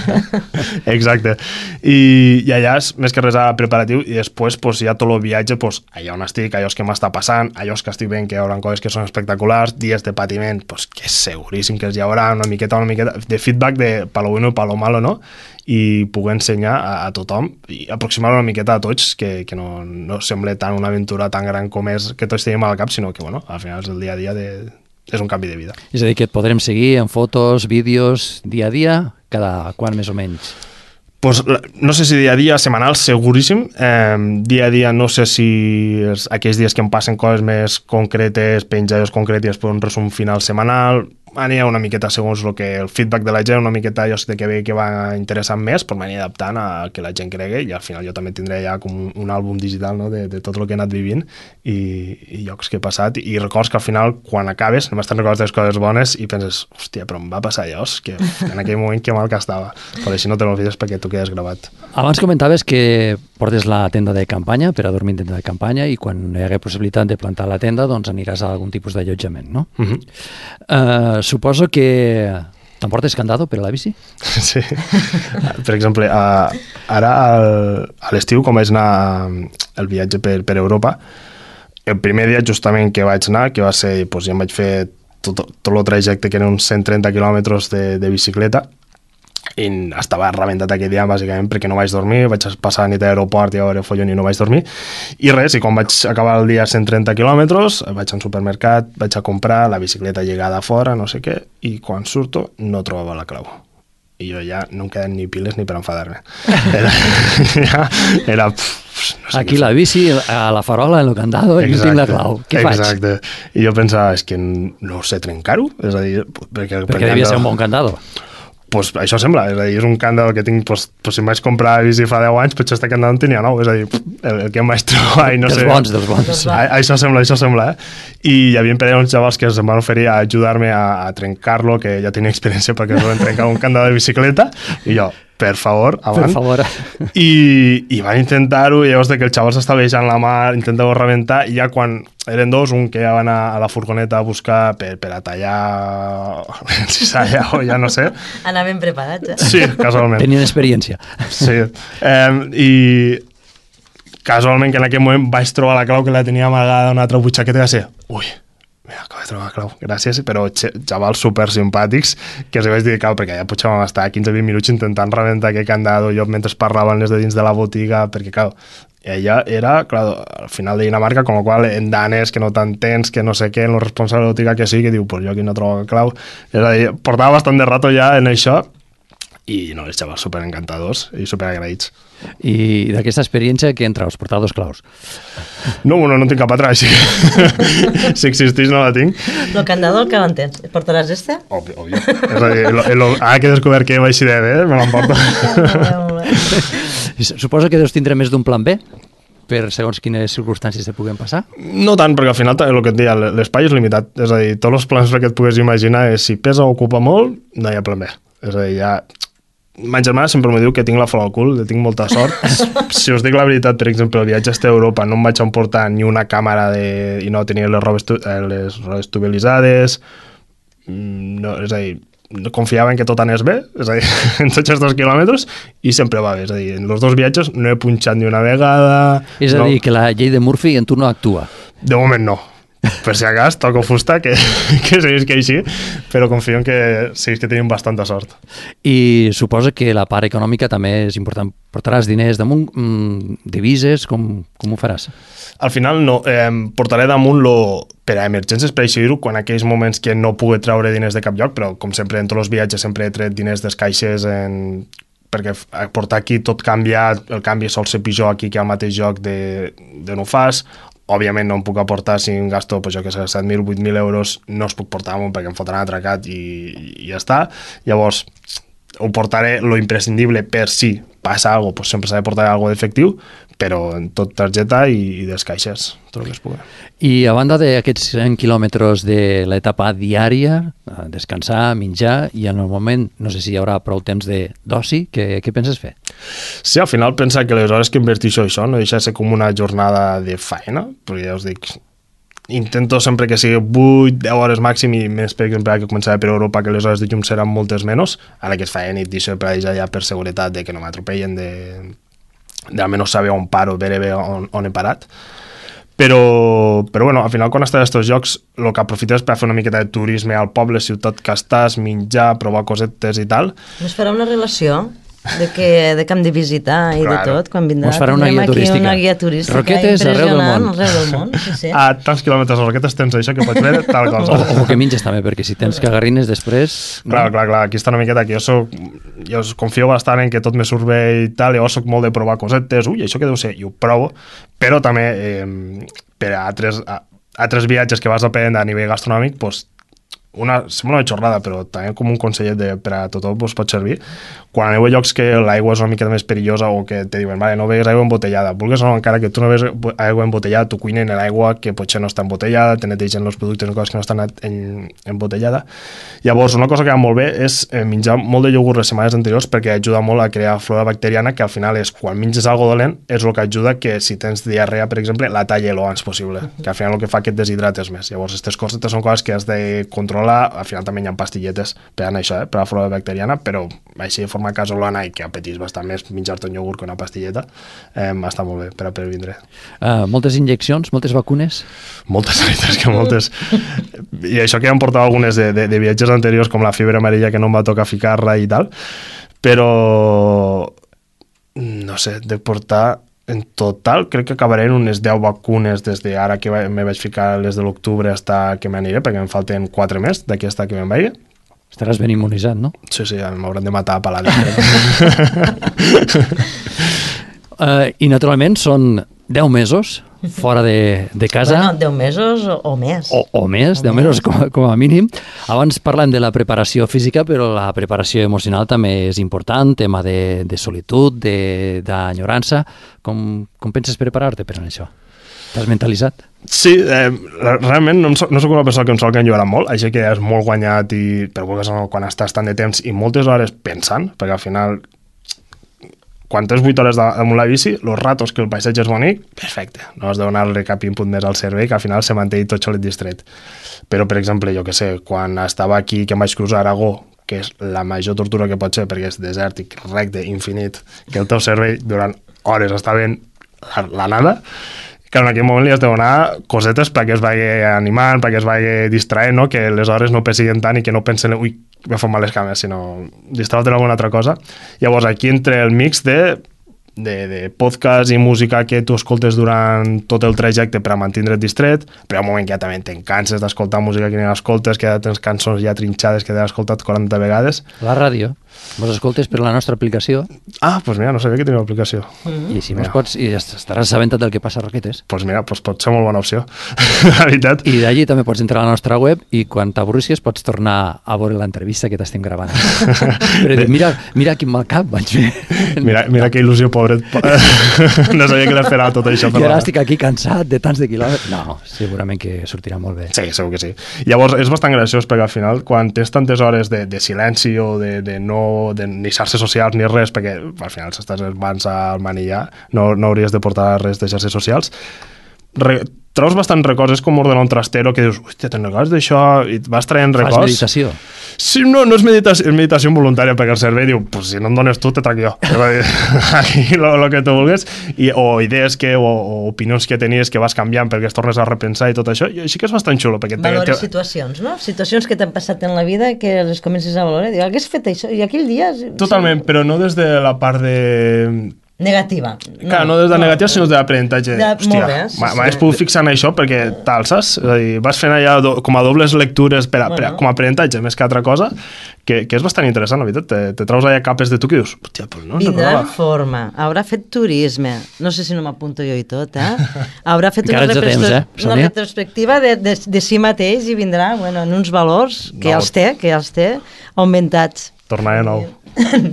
Exacte. I allà és més que res a preparatiu i després hi ha tot el viatge, allà on estic, allò que m'està passant, allò que estic veient que hi haurà coses que són espectaculars, dies de patiment, que és seguríssim que hi haurà una miqueta de feedback de pa lo bueno i pa lo malo, no? I poder ensenyar a tothom i aproximar una miqueta a tots que no sembla tan una aventura tan gran com és que tots tenim al cap, sinó que al final és el dia a dia és un canvi de vida. És a dir, que et podrem seguir en fotos, vídeos, dia a dia, cada quan més o menys? No sé si dia a dia, setmanal, seguríssim. Dia a dia no sé si aquells dies que em passen coses més concretes, penjades concretes i després un resum final setmanal. Anirà una miqueta segons el feedback de la gent, una miqueta jo sé que ve que va interessant més, però m'aniré adaptant a que la gent cregui i al final jo també tindré ja com un àlbum digital, no, de tot el que he anat vivint i llocs que he passat i records que al final quan acabes només te'n recordes les coses bones i penses, hòstia, però em va passar allò, que en aquell moment que mal que estava, però així no te l'olvides perquè tu quedes gravat. Abans comentaves que portes la tenda de campanya per a dormir en tenda de campanya i quan hi hagués possibilitat de plantar la tenda doncs aniràs a algun tipus d'allotjament, no? Suposo que t'emportes candado per a la bici? Sí. Per exemple, ara a l'estiu, com vaig anar el viatge per Europa, el primer dia justament que vaig anar, que va ser, ja em vaig fer tot el trajecte que eren uns 130 quilòmetres de bicicleta, i estava rebentat aquell dia bàsicament perquè no vaig dormir, vaig passar la nit a l'aeroport i a veure follon i no vaig dormir i res, i quan vaig acabar el dia 130 quilòmetres vaig al supermercat, vaig a comprar la bicicleta lligada a fora, no sé què, i quan surto no trobava la clau i jo ja no em queden ni piles ni per enfadar-me. Era no sé aquí la bici, a la farola, en el candado, i no tinc la clau. Què faig? Exacte. I jo pensava, és que no sé trencar-ho, és a dir... Perquè devia ser un bon candado. pues això sembla, és a dir, és un candado que tinc, pues si em vaig comprar a bici fa 10 anys, potser este candado en tenia 9, és a dir, el que em vaig trobar i no sé... Dels bons. Això sembla, I hi havia uns xavals que em van oferir a ajudar-me a trencar-lo, que ja tenia experiència perquè es van trencar un candado de bicicleta, i jo, per favor, avant. Per favor. I van intentar-ho, i llavors que el xaval s'estava deixant la mà, intentava rebentar, i ja quan eren dos, un que ja va anar a la furgoneta a buscar per a tallar cissalla o ja no sé. Anaven preparats, Sí, casualment. Tenien experiència. Sí. I casualment que en aquell moment vaig trobar la clau que la tenia amagada en una altra butxaqueta i va ser, ui, acabo de trobar la clau, gràcies, però xavals super simpàtics que els vaig dir, cal, perquè ja potser vam estar 15-20 minuts intentant rebentar aquest candado, jo mentre parlaven les de dins de la botiga, perquè, clar, ella era, clar, al final de Dinamarca, con lo qual en danès, que no t'entens, que no sé què, en el responsable de la botiga que sí, que diu, pues jo aquí no trobo la clau. És a dir, portava bastant de rato ja en això, i no, els xavals super encantadors i super agraïts. I d'aquesta experiència que entra, us portar 2 claus? No, bueno, no en tinc cap altra, així que si existeix no la tinc. El candado que l'entens? Portaràs este? Òbvio. És a dir, ara que he descobert que vaig de bé, me l'emporto. Molt bé. Suposo que deus tindre més d'un plan B per segons quines circumstàncies te puguen passar? No tant, perquè al final el que et deia, l'espai és limitat. És a dir, tots els plans que et pugues imaginar és si pesa o ocupa molt, no hi ha plan B. És a dir, ja... Ma germana sempre m'ho diu que tinc la flor al cul, que tinc molta sort. Si us dic la veritat, per exemple, el viatge a Europa no em vaig emportar ni una càmera i no tenia les rodes estabilitzades. No, és a dir, confiava en que tot anés bé, és a dir, en tots els 2 quilòmetres, i sempre va bé. És a dir, en els 2 viatges no he punxat ni una vegada... És a dir, que la llei de Murphy en tu no actua. De moment no. Per si acas, toco fusta, que seguís que així, però confio en que seguís que tenim bastanta sort. I suposa que la part econòmica també és important. Portaràs diners damunt, divises, com ho faràs? Al final no, portaré damunt per a emergències, per així dir-ho, quan aquells moments que no pugui treure diners de cap lloc, però com sempre en tots els viatges sempre he tret diners des caixes perquè portar aquí tot canvia, el canvi sol ser pitjor aquí que al mateix lloc de no fas. Òbviament no em puc aportar si em gasto, pues, jo que sé, 7.000, 8.000 euros, no els puc portar amunt perquè em fotran atracat i ja està. Llavors, ho portaré lo imprescindible per si passa alguna cosa, pues sempre s'ha de portar alguna d'efectiu, però en tot targeta i des caixes, tot el que es pugui. I a banda d'aquests 100 quilòmetres de l'etapa diària, descansar, menjar, i en el moment, no sé si hi haurà prou temps d'oci, què penses fer? Sí, al final pensa que les hores que inverteixo això no deixa de ser com una jornada de faena, perquè ja us dic, intento sempre que sigui 8-10 hores màxim i més, per exemple, que començava per Europa, que les hores de llum seran moltes menys, ara que es feia nit deixo per allà ja per seguretat de que no m'atropellen, de almenys saber on paro, veure bé on he parat. Però bueno, al final quan estàs a aquests jocs el que aprofites per fer una miqueta de turisme al poble, ciutat que estàs, menjar, provar cosetes i tal. Ens farà una relació de que hem de visitar i Claro. de tot, quan vindrà. Ens farà una guia turística. Una guia turística Roquetes arreu del món. Arreu del món, sí, sí. A tants quilòmetres de Roquetes tens això que pots veure tal cosa. O que menges també, perquè si tens cagarrines després... Clar, aquí està una miqueta que jo confio bastant en que tot me surt bé i tal, llavors soc molt de provar cosetes, això que deu ser, i ho provo, però també per a altres viatges que vas a prendre a nivell gastronòmic, doncs, sembla una xorrada, però també com un consellet per a tothom pot servir. Quan aneu a llocs que l'aigua és una mica més perillosa o que te diuen, vale, no begues aigua embotellada, vulguis o no, encara que tu no begues aigua embotellada, tu cuinen l'aigua que potser no està embotellada, te netegen els productes o coses que no estan embotellada. Llavors, una cosa que va molt bé és menjar molt de iogurt les setmanes anteriors perquè ajuda molt a crear flora bacteriana, que al final és, quan menges algo dolent, és el que ajuda que si tens diarrea, per exemple, la talli lo abans possible, que al final el que fa que et deshidrates més. Llavors, aquestes coses són coses que has de controlar. Al final també hi ha pastilletes per a això, per a la flora bacteriana, però així de forma casolana i que apetís bastant més menjar-te un iogurt que una pastilleta, està molt bé per a previndre. Moltes injeccions, moltes vacunes? Moltes, veritats que moltes. I això que ja em portava algunes de viatges anteriors, com la fiebre amarilla, que no em va tocar ficar-la i tal, però no sé, de portar en total crec que acabaré en unes 10 vacunes des de ara que me vaig ficar les de l'octubre fins que m'aniré, perquè em falten 4 més d'aquesta que me'n vaig. Estaràs ben immunitzat, no? Sí, m'hauran de matar a palat. I naturalment són 10 mesos fora de casa. Bueno, 10 mesos o més. O més, 10 mesos com a mínim. Abans parlem de la preparació física, però la preparació emocional també és important, tema de solitud, d'enyorança. Com penses preparar-te per a això? T'has mentalitzat? Sí, realment no soc una persona que em sol enllorar molt, així que és molt guanyat però quan estàs tant de temps i moltes hores pensant, perquè al final quan tens 8 hores damunt la bici, els ratos que el paisatge és bonic, perfecte, no has de donar-li cap input més al cervell, que al final se manté tot xolet distret. Però, per exemple, jo que sé, quan estava aquí, que em vaig cruzar Aragó, que és la major tortura que pot ser, perquè és desèrtic, recte, infinit, que el teu cervell durant hores està veient la nada, que en aquell moment li has de donar cosetes perquè es vagi animant, perquè es vagi distraent, no? Que les hores no pessiguen tant i que no pensen, ui, me fan mal les cames, sinó distraure't en alguna altra cosa. Llavors, aquí entre el mix de podcast i música que tu escoltes durant tot el trajecte per a mantindre't distret, però hi ha un moment que ja també te'n canses d'escoltar música que ni l'escoltes, que ja tens cançons ja trinxades que t'has escoltat 40 vegades. La ràdio, vos escoltes per la nostra aplicació. Ah, doncs mira, no sabia que tenia una aplicació. I si mos pots, i estaràs assabentat del que passa a Roquetes. Doncs mira, pot ser molt bona opció, la veritat. I d'allí també pots entrar a la nostra web i quan t'avorrissis pots tornar a veure l'entrevista que t'estem gravant. Però dic, mira quin mal cap vaig fer. Mira que il·lusió, pobret. No sabia que l'esperava tot això. I ara estic aquí cansat de tants de quilòmetres. No, segurament que sortirà molt bé. Sí, segur que sí. Llavors, és bastant graciós perquè al final, quan tens tantes hores de silenci o de ni xarxes socials ni res, perquè al final s'estàs abans al manillar, no hauries de portar res de xarxes socials, treus bastants records, és com ordenar un trastero que dius, hòstia, te'n recordes d'això? I et vas traient records. Fas meditació? Sí, no és meditació involuntària, perquè el cervell diu, pues si no em dones tu, te trac jo. Aquí lo que tu vulguis. O idees o opinions que tenies que vas canviant perquè es tornes a repensar i tot això. I així que és bastant xulo. Valores situacions, no? Situacions que t'han passat en la vida que les comences a valorar. Diu, hagués fet això? I aquell dia... Totalment, sí. Però no des de la part de... negativa. Clar, no des de negativa, sinó des de l'aprenentatge. Hòstia, m'hagués pogut fixar en això perquè tal, saps? És a dir, vas fent allà com a dobles lectures com a aprenentatge, més que altra cosa, que és bastant interessant, la veritat. Te traus allà capes de tu que dius, hòstia, però no ens vindrà en forma, haurà fet turisme, no sé si no m'apunto jo i tot, haurà fet una retrospectiva de si mateix i vindrà, bueno, en uns valors que ja els té, augmentats. Tornar de nou.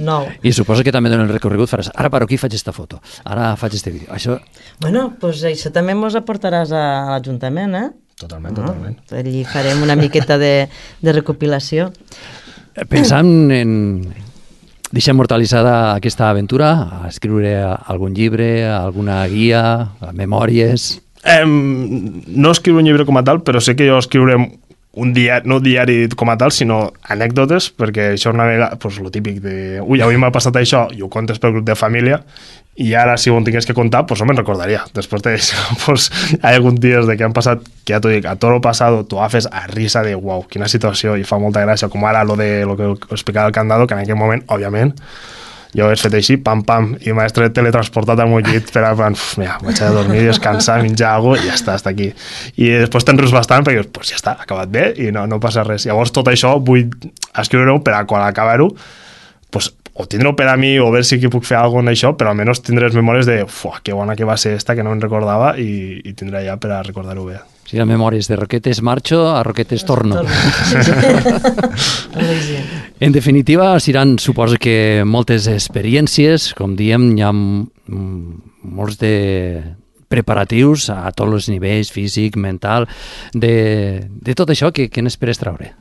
No. I suposo que també en el recorregut faràs, ara per aquí faig esta foto, ara faig este vídeo. Això... Bueno, doncs això també mos aportaràs a l'Ajuntament, Totalment. Allí farem una miqueta de recopilació. Pensant en... Deixar immortalitzada aquesta aventura, a escriure algun llibre, alguna guia, memòries... No escriure un llibre com a tal, però sé que jo escriuré un diari, no diari com a tal, sinó anècdotes, perquè això una vegada, doncs el típic de, ui, avui m'ha passat això, i ho contes pel grup de família, i ara si ho tingués que contar, doncs no me'n recordaria. Després d'això, doncs hi ha alguns dies de que han passat, que ja t'ho dic, a tot el passat t'ho agafes a risa de, uau, quina situació, i fa molta gràcia, com ara lo que explicava el Candado, que en aquell moment, òbviament, jo ho he fet així, pam, i m'he teletransportat al meu llit per a, mira, vaig a dormir, descansar, menjar alguna cosa i ja està aquí. I després te'n rius bastant perquè, pues ja està, ha acabat bé i no passa res. Llavors tot això vull escriure-ho per a quan acabar-ho, pues, o tindre-ho per a mi o veure si puc fer alguna cosa en això, però almenys tindré les memòries de, que bona que va ser esta, que no em recordava i tindré ja per a recordar-ho bé. Si hi ha memòries de Roquetes marxo, a Roquetes torno. En definitiva, seran, suposo que moltes experiències, com diem, hi ha molts de preparatius a tots els nivells, físic, mental, de tot això, que n'esperes traure?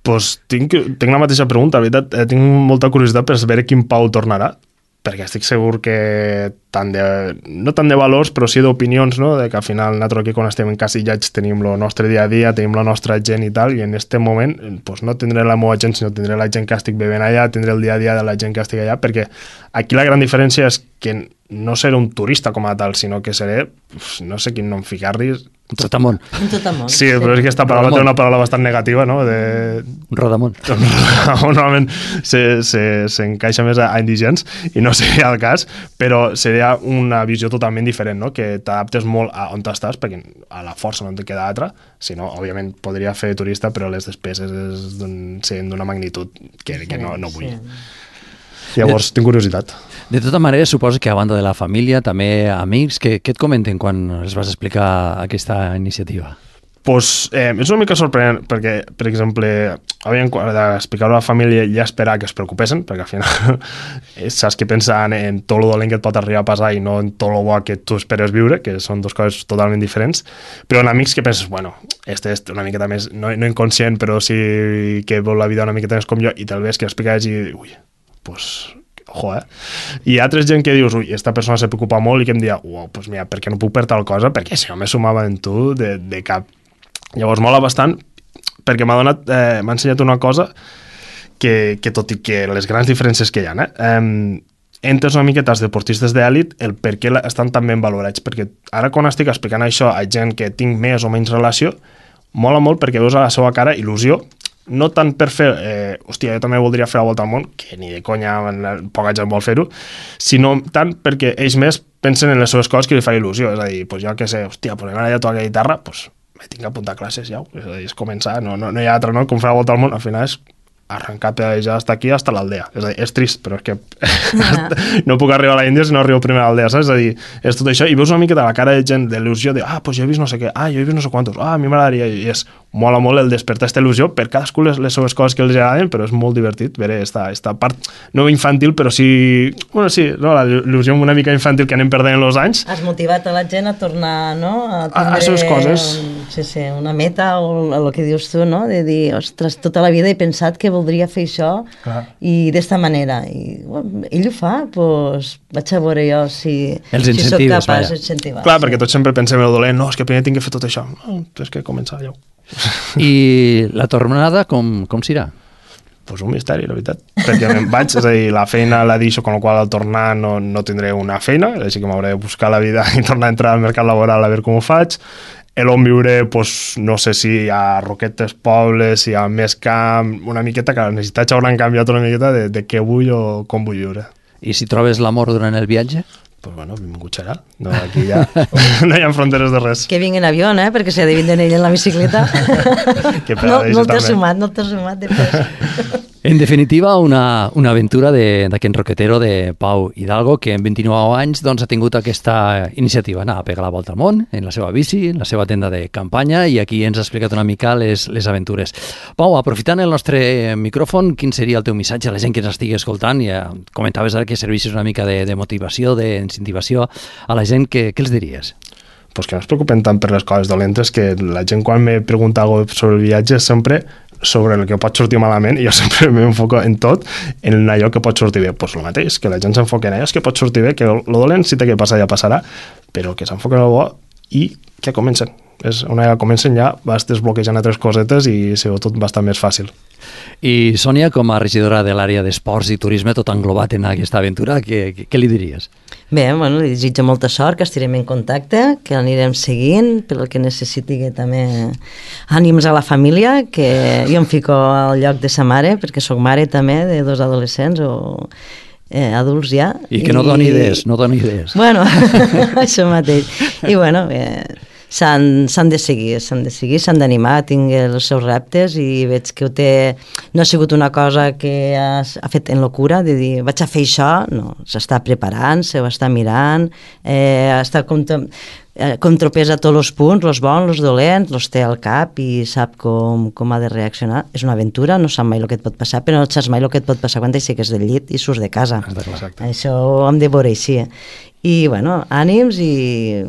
Pues tinc la mateixa pregunta, la veritat, tinc molta curiositat per saber quin Pau tornarà, perquè estic segur que no tant de valors, però sí d'opinions, no? De que al final nosaltres aquí quan estem encasillats tenim el nostre dia a dia, tenim la nostra gent i tal, i en aquest moment pues, no tindré la meva gent, sinó tindré la gent que estic bevent allà, tindré el dia a dia de la gent que estic allà, perquè aquí la gran diferència és que no seré un turista com a tal, sinó que seré, no sé quin nom ficar-li... Un trotamont. Un trotamont. Sí, però és que aquesta paraula té una paraula bastant negativa, no? Un rodamont. Normalment s'encaixa més a indigents, i no seria el cas, però seria una visió totalment diferent, no? Que t'adaptes molt a on estàs, perquè a la força no en te queda altra, si no, òbviament, podria fer turista, però les despeses serien d'una magnitud que no vull. Llavors, tinc curiositat. De tota manera, suposo que a banda de la família, també amics, què et comenten quan els vas explicar aquesta iniciativa? Pues, és una mica sorprenent perquè, per exemple, d'explicar-ho a la família i esperar que es preocupessin, perquè al final saps que pensen en tot el dolent que et pot arribar a passar i no en tot el bo que tu esperes viure, que són dues coses totalment diferents, però en amics que penses, bueno, este és una miqueta més, no inconscient, però sí que vol la vida una miqueta més com jo, i tal vegada que l'expliques i, ui, pues, ojo, I altres gent que dius, ui, esta persona se preocupa molt i que em dia, uau, pues mira, per què no puc per tal cosa? Perquè si no me sumava en tu de cap. Llavors mola bastant perquè m'ha ensenyat una cosa que tot i que les grans diferències que hi ha, entes una miqueta els deportistes d'èlit el per què estan tan ben valorats, perquè ara quan estic explicant això a gent que tinc més o menys relació, mola molt perquè veus a la seva cara il·lusió, no tant per fer, hòstia, jo també voldria fer la volta al món, que ni de conya, poca gent vol fer-ho, sinó tant perquè ells més pensen en les seves coses que li fa il·lusió, és a dir, pues jo què sé, hòstia, pues m'agradaria tocar la guitarra, pues me tinc que apuntar a classes ja, és a dir, és començar, no hi ha altre, no? Com fer la volta al món, al final és arrencar ja hasta aquí, hasta l'aldea. És a dir, és trist, però és que no puc arribar a la Índia si no arribo primer a l'aldea, saps? És a dir, és tot això, i veus una mica de la cara de gent d'il·lusió, de, pues jo he vist no sé què, jo he vist no sé quantos, a mi m'agradaria, i és mola molt el despertar aquesta il·lusió, per cadascú les seves coses que els agraden, però és molt divertit veure esta part, no infantil, però sí, bueno, sí, no, la il·lusió una mica infantil que anem perdent els anys. Has motivat a la gent a tornar, no? A les seves coses. Sí, una meta, o el que dius tu, no? De dir, ostres, tota la vida he pensat que voldria fer això. Clar. I d'esta manera. I bueno, ell ho fa, doncs vaig a veure jo si soc capaç d'incentivar. Clar, perquè tots sempre pensem en el dolent, no, és que primer tinc que fer tot això. No, és que començar ja. I la tornada com serà? Pues un misteri, la veritat. Perquè me'n vaig, és a dir, la feina la deixo, con la qual al tornar no tindré una feina, així que m'hauré de buscar la vida i tornar a entrar al mercat laboral a veure com ho faig. On viuré, pues, no sé si hi ha Roquetes, pobles, si hi ha més camp, una miqueta, que les necessitats hauran canviat una miqueta de què vull o com vull viure. I si trobes l'amor durant el viatge? Pues bueno, benvingut serà. No, aquí ja no hi ha fronteres de res. Que vingui en avió, perquè si ha de vindre ell en la bicicleta. No t'has sumat de pes. En definitiva, una aventura d'aquest roquetero de Pau Hidalgo, que en 29 anys ha tingut aquesta iniciativa, anar a pegar la volta al món, en la seva bici, en la seva tenda de campanya, i aquí ens ha explicat una mica les aventures. Pau, aprofitant el nostre micròfon, quin seria el teu missatge a la gent que ens estigui escoltant? Ja comentaves ara que servissis una mica de motivació, d'incentivació a la gent, què els diries? Pues que no es preocupen tant per les coses dolentes, que la gent quan me pregunta alguna cosa sobre el viatge sempre sobre el que pot sortir malament, i jo sempre m'enfoco en tot, en allò que pot sortir bé. Doncs el mateix, que la gent s'enfoca en allò que pot sortir bé, que el dolent si té que passar ja passarà, però que s'enfoquen en el bo i que comencen. Una vegada comencen ja vas desbloquejant altres cosetes i serà tot bastant més fàcil. I Sònia, com a regidora de l'àrea d'esports i turisme, tot englobat en aquesta aventura, què li diries? Bé, bueno, li desitjo molta sort, que estirem en contacte, que l'anirem seguint, pel que necessiti, que també ànims a la família, que jo em fico al lloc de sa mare, perquè sóc mare també de 2 adolescents o adults ja. I que no doni idees, Bueno, això mateix. I bueno, s'han de seguir, s'han d'animar, tinc els seus reptes i veig que no ha sigut una cosa que ha fet en locura, de dir, vaig a fer això, no, s'està preparant, s'ho està mirant, està contrapesa tots els punts, els bons, els dolents, els té al cap i sap com ha de reaccionar. És una aventura, no sap mai el que et pot passar, però no saps mai el que et pot passar quan t'aixeques del llit i surts de casa. Exacte. Això ho hem de veure així. I, bueno, ànims i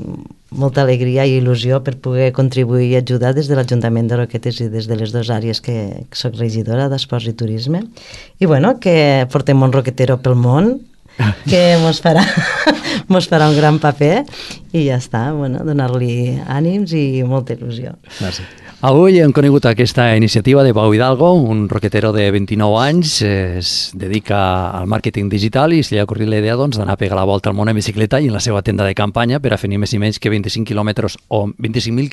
molta alegria i il·lusió per poder contribuir i ajudar des de l'Ajuntament de Roquetes i des de les 2 àrees que soc regidora d'Esports i Turisme. I, bueno, que portem un roquetero pel món, que mos farà un gran paper i ja està, bueno, donar-li ànims i molta il·lusió. Gràcies. Avui hem conegut aquesta iniciativa de Pau Hidalgo, un roquetero de 29 anys, es dedica al màrqueting digital i se li ha ocorrit la idea d'anar a pegar la volta al món en bicicleta i en la seva tenda de campanya per a fer ni més ni menys que 25.000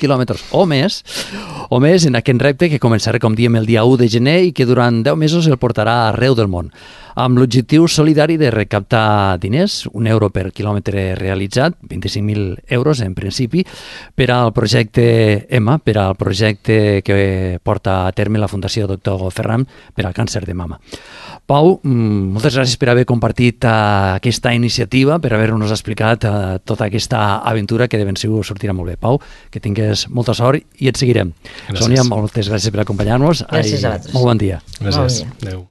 quilòmetres o més en aquest repte que començarà, com diem, el dia 1 de gener i que durant 10 mesos el portarà arreu del món, amb l'objectiu solidari de recaptar diners, €1 per quilòmetre realitzat, 25.000 euros en principi, per al projecte EMA, per al projecte que porta a terme la Fundació Dr. Ferran per al càncer de mama. Pau, moltes gràcies per haver compartit aquesta iniciativa, per haver-nos explicat tota aquesta aventura que de ben segur sortirà molt bé. Pau, que tingues molta sort i et seguirem. Gràcies. Sònia, moltes gràcies per acompanyar-nos. Gràcies a vosaltres. Molt bon dia. Gràcies. Bon dia. Adéu.